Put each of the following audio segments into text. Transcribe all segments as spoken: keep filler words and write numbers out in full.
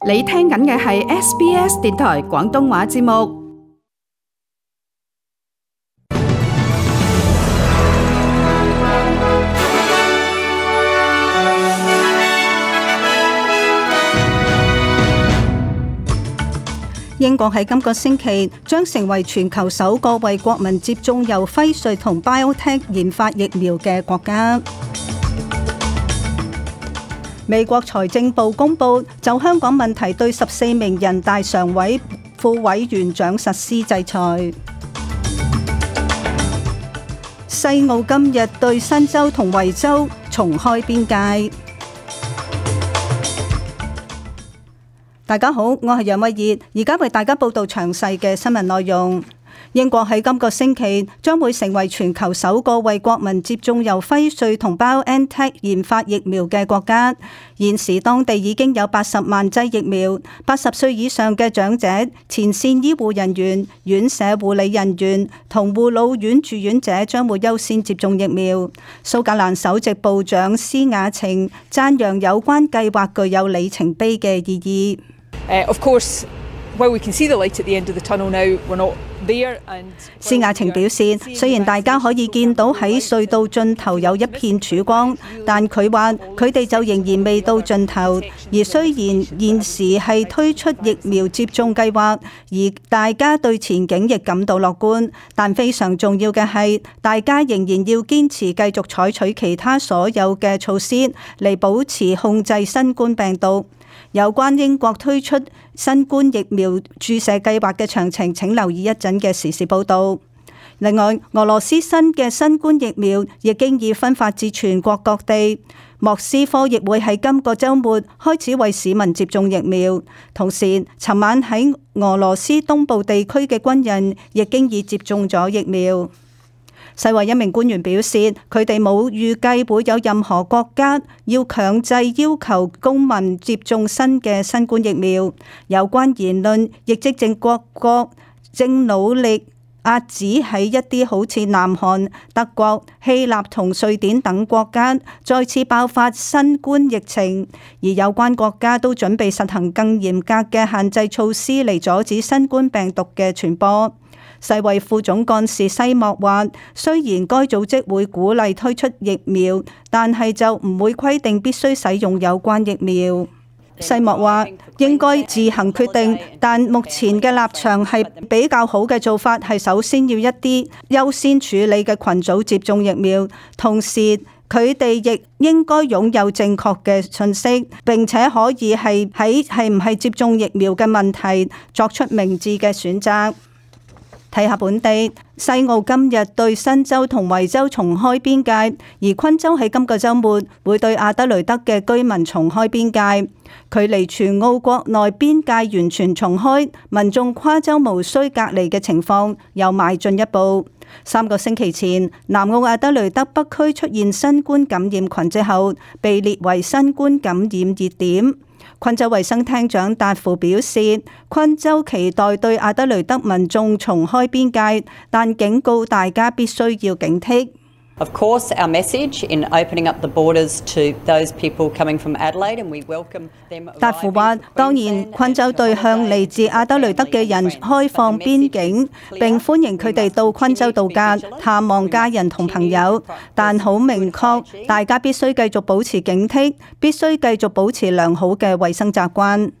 你聽緊嘅係 S B S 電台廣東話節目。英國喺今個星期將成為全球首個為國民接種由輝瑞同 BioNTech 研發疫苗嘅國家。美國財政部公布就香港問題對十四名人大常委副委員長實施制裁。西澳今日對新州同維州重開邊界。大家好，我係楊慧儀，而家為大家報道詳細嘅新聞內容。英國喺今個星期將會成為全球首個為國民接種由輝瑞同 BioNTech 研發疫苗嘅國家。現時當地已經有八十萬劑疫苗，八十歲以上嘅長者、前線醫護人員、院舍護理人員同護老院住院者將會優先接種疫苗。蘇格蘭首席部長施雅晴讚揚有關計劃具有里程碑嘅意義。Uh, of course, while we can see the light at the end of the tunnel now, we're not there. And 施雅晴表示，雖然大家可以見到喺隧道盡頭有一片曙光，但佢話佢哋就仍然未到盡頭。而雖然現時係推出疫苗接種計劃，而大家對前景亦感到樂觀，但非常重要嘅係，大家仍然要堅持繼續採取其他所有嘅措施嚟保持控制新冠病毒。有關英國推出新冠疫苗注射計劃嘅詳情，請留意一陣嘅時事報導。另外，俄羅斯新嘅新冠疫苗亦經已分發至全國各地。莫斯科亦會喺今個週末開始為市民接種疫苗。同時，尋晚喺俄羅斯東部地區嘅軍人亦經已接種咗疫苗。世衛一名官員表示，佢哋冇預計會有任何國家要強制要求公民接種新嘅新冠疫苗。有關言論亦即正各國正努力遏止喺一啲好似南韓、德國、希臘同瑞典等國家再次爆發新冠疫情，而有關國家都準備實行更嚴格嘅限制措施嚟阻止新冠病毒嘅傳播。世衛副總幹事西莫話，雖然該組織會鼓勵推出疫苗，但係就唔會規定必須使用有關疫苗。西莫話應該自行決定，但目前嘅立場係比較好嘅做法係首先要一啲優先處理嘅群組接種疫苗，同時佢哋亦應該擁有正確嘅信息，並且可以係喺係唔係接種疫苗嘅問題作出明智嘅選擇。睇下本地，西澳今日對新州同維州重開邊界，而昆州喺今個週末會對阿德雷德嘅居民重開邊界。距離全澳國內邊界完全重開，民眾跨州無需隔離嘅情況又邁進一步。三個星期前，南澳阿德雷德北區出現新冠感染群之後，被列為新冠感染熱點。昆州衛生廳長達夫表示，昆州期待對阿德雷德民眾重開邊界，但警告大家必須要警惕。Of course, our message in opening up the borders to those people coming from Adelaide, and we welcome them. 達夫話：當然，昆州對向嚟自阿德雷德嘅人開放邊境，並歡迎佢哋到昆州度假、探望家人同朋友。但好明確，大家必須繼續保持警惕，必須繼續保持良好嘅衛生習慣。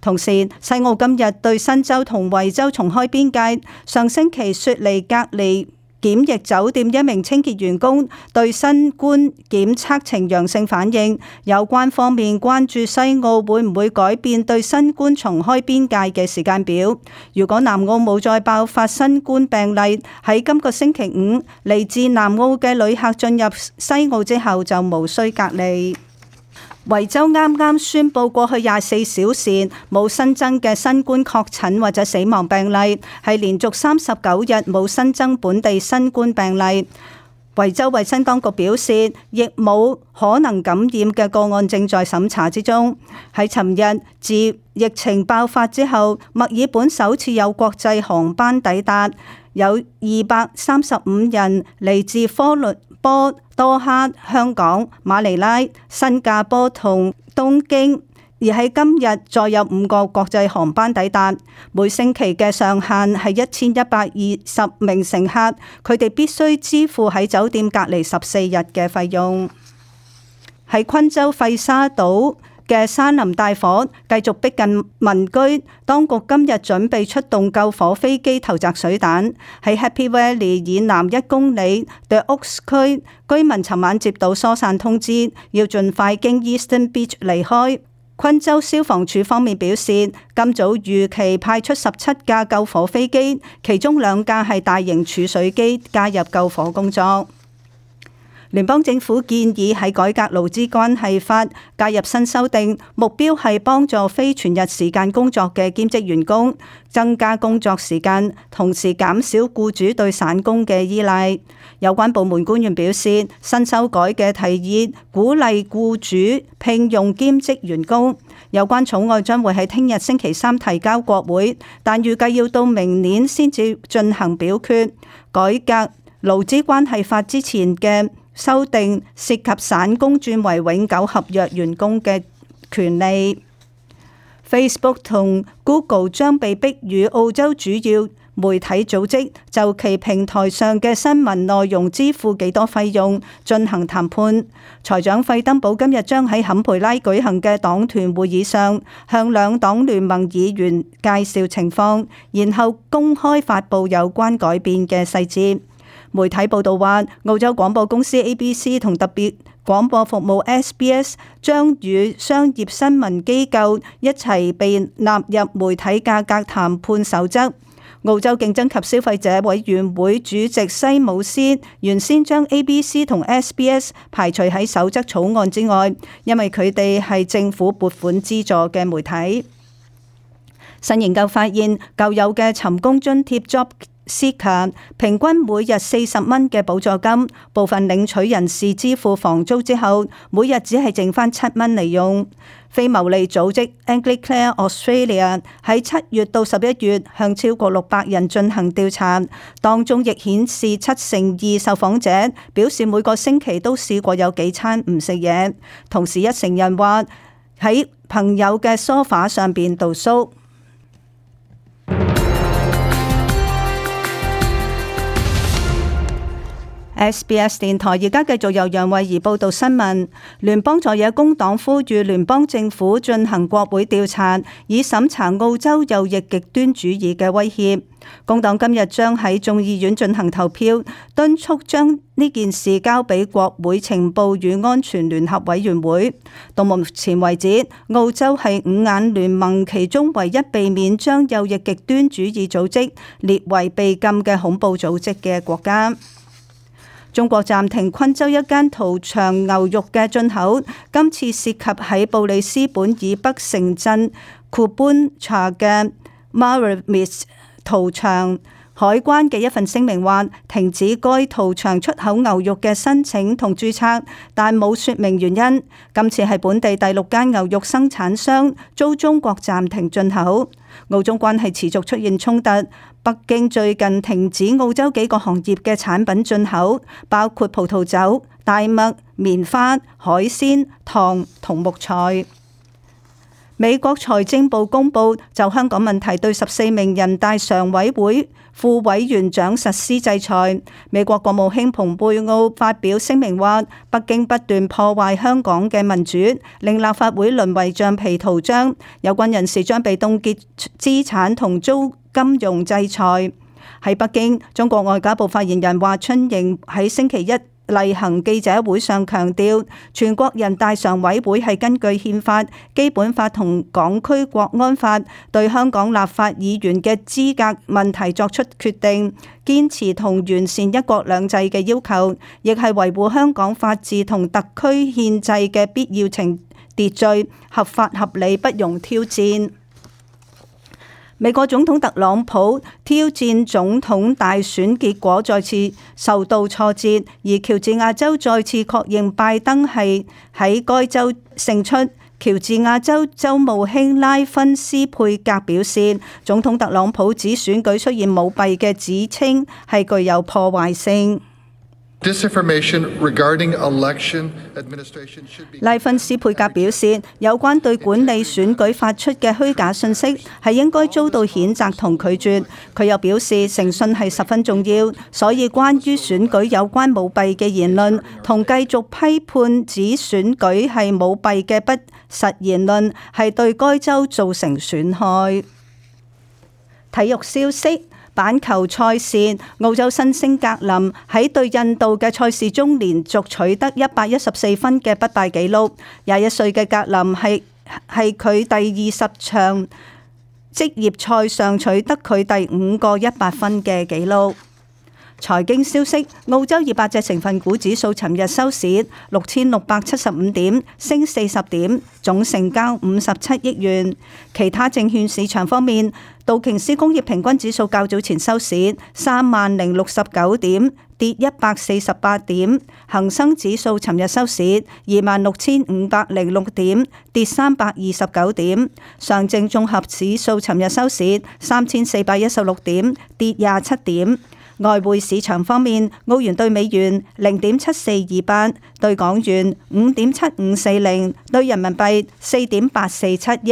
同時，西澳今日對新州同維州重開邊界。上星期雪梨隔離檢疫酒店一名清潔員工對新冠檢測呈陽性反應，有關方面關注西澳會唔會改變對新冠重開邊界嘅時間表。如果南澳冇再爆發新冠病例，喺今個星期五嚟自南澳嘅旅客進入西澳之後就無需隔離。維州啱啱宣布過去廿四小時冇新增嘅新冠確診或者死亡病例，係連續三十九日冇新增本地新冠病例。維州衛生當局表示，亦冇可能感染嘅個案正在審查之中。喺尋日自疫情爆發之後，墨爾本首次有國際航班抵達，有二百三十五人嚟自科倫坡、多哈、香港、馬尼拉、新加坡同東京，而喺今日再有五個國際航班抵達，每星期嘅上限係一千一百二十名乘客，佢哋必須支付喺酒店隔離十四日嘅費用。喺昆州費沙島嘅山林大火繼續逼近民居，當局今日準備出動救火飛機投擲水彈。喺 Happy Valley 以南一公里 The Oaks 區，居民尋晚接到疏散通知，要盡快經 Eastern Beach 離開。昆州消防處方面表示，今早預期派出十七架救火飛機，其中兩架係大型儲水機，加入救火工作。聯邦政府建議喺改革勞資關係法加入新修訂，目標係幫助非全日時間工作嘅兼職員工增加工作時間，同時減少僱主對散工嘅依賴。有關部門官員表示，新修改嘅提議鼓勵僱主聘用兼職員工。有關草案將會喺聽日星期三提交國會，但預計要到明年先至進行表決。改革勞資關係法之前嘅修訂涉及散工轉為永久合約員工嘅權利。Facebook 同 Google 將被逼與澳洲主要媒體組織就其平台上嘅新聞內容支付幾多費用進行談判。財長費登堡今日將喺坎培拉舉行嘅黨團會議上向兩黨聯盟議員介紹情況，然後公開發布有關改變嘅細節。媒體報道話，澳洲廣播公司 A B C 同特別廣播服務 S B S 將與商業新聞機構一齊被納入媒體價格談判守則。澳洲競爭及消費者委員會主席西姆斯原先將 A B C 同 S B S 排除喺守則草案之外，因為佢哋係政府撥款資助嘅媒體。新研究發現，舊有嘅尋工津貼 Job Seeker 平均每日四十蚊嘅補助金，部分領取人士支付房租之後，每日只係剩翻七蚊嚟用。非牟利組織 Anglicare Australia 喺七月到十一月向超過六百人進行調查，當中亦顯示七成二受訪者表示每個星期都試過有幾餐唔食嘢，同時一成人話喺朋友嘅梳化上邊度宿。S B S 電台而家繼續由楊慧儀報道新聞。聯邦在野工黨呼籲聯邦政府進行國會調查，以審查澳洲右翼極端主義嘅威脅。工黨今日將喺眾議院進行投票，敦促將呢件事交俾國會情報與安全聯合委員會。到目前為止，澳洲係五眼聯盟其中唯一避免將右翼極端主義組織列為被禁嘅恐怖組織嘅國家。中國暫停昆州一間屠場牛肉嘅進口，今次涉及喺布里斯本以北城鎮庫班查嘅 Maramiss 屠場。海關嘅一份聲明話，停止該屠場出口牛肉嘅申請同註冊，但冇說明原因。今次係本地第六間牛肉生產商遭中國暫停進口。澳中關係持續出現衝突，北京最近停止澳洲幾個行業嘅產品進口，包括葡萄酒、大麥、棉花、海鮮、糖同木材。美國財政部公布就香港問題對十四名人大常委會副委員長實施制裁。美國國務卿蓬佩奧發表聲明話，北京不斷破壞香港嘅民主，令立法會淪為橡皮圖章。有關人士將被凍結資產同遭金融制裁。喺北京，中國外交部發言人華春瑩喺星期一例行記者會上強調，全國人大常委會係根據憲法、基本法同港區國安法對香港立法議員嘅資格問題作出決定，堅持同完善一國兩制嘅要求，亦係維護香港法治同特區憲制嘅必要程秩序，合法合理，不容挑戰。美國總統特朗普挑戰總統大選結果再次受到挫折，而喬治亞州再次確認拜登係喺該州勝出。喬治亞州州務卿拉芬斯佩格表示，總統特朗普指選舉出現舞弊嘅指稱係具有破壞性。Disinformation regarding election administration should be. 拉芬斯佩格表示，有關對管理選舉發出嘅虛假信息係應該遭到譴責同拒絕。佢又表示，誠信係十分重要，所以關於選舉有關舞弊嘅言論同繼續批判指選舉係舞弊嘅不實言論係對該州造成損害。體育消息。板球賽事，澳洲新星格林喺對印度嘅賽事中連續取得一百一十四分嘅不敗紀錄。廿一歲嘅格林係係佢第二十場職業賽上取得佢第五個一百分嘅紀錄。財經消息，澳洲二百隻成分股指數尋日收市六千六百七十五點，升四十點，總成交五十七億元。其他證券市場方面，道瓊斯工業平均指數較早前收市三萬零六十九點，跌一百四十八點；恒生指數尋日收市二萬六千五百零六點，跌三百二十九點；上證綜合指數尋日收市三千四百一十六點，跌廿七點。外匯市場方面，澳元對美元零點七四二八，對港元五點七五四零，對人民幣四點八四七一。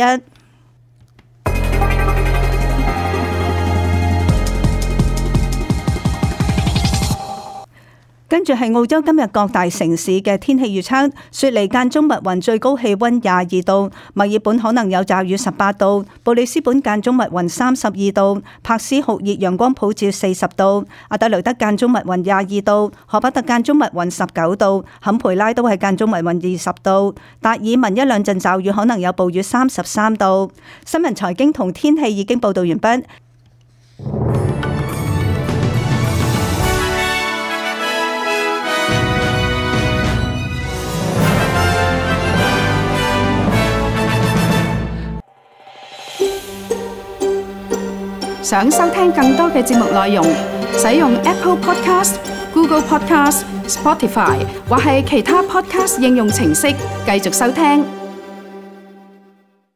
跟住係澳洲今日各大城市嘅天氣預測：雪梨間中密雲，最高氣溫廿二度；墨爾本可能有驟雨十八度；布里斯本間中密雲三十二度；珀斯酷熱，陽光普照四十度；阿德雷德間中密雲廿二度；荷巴特間中密雲十九度；坎培拉都係間中密雲二十度；達爾文一兩陣驟雨，可能有暴雨三十三度。新聞財經同天氣已經報道完畢。想收聽更多嘅節目內容，使用 Apple Podcast、Google Podcast、Spotify 或係其他 Podcast 應用程式繼續收聽。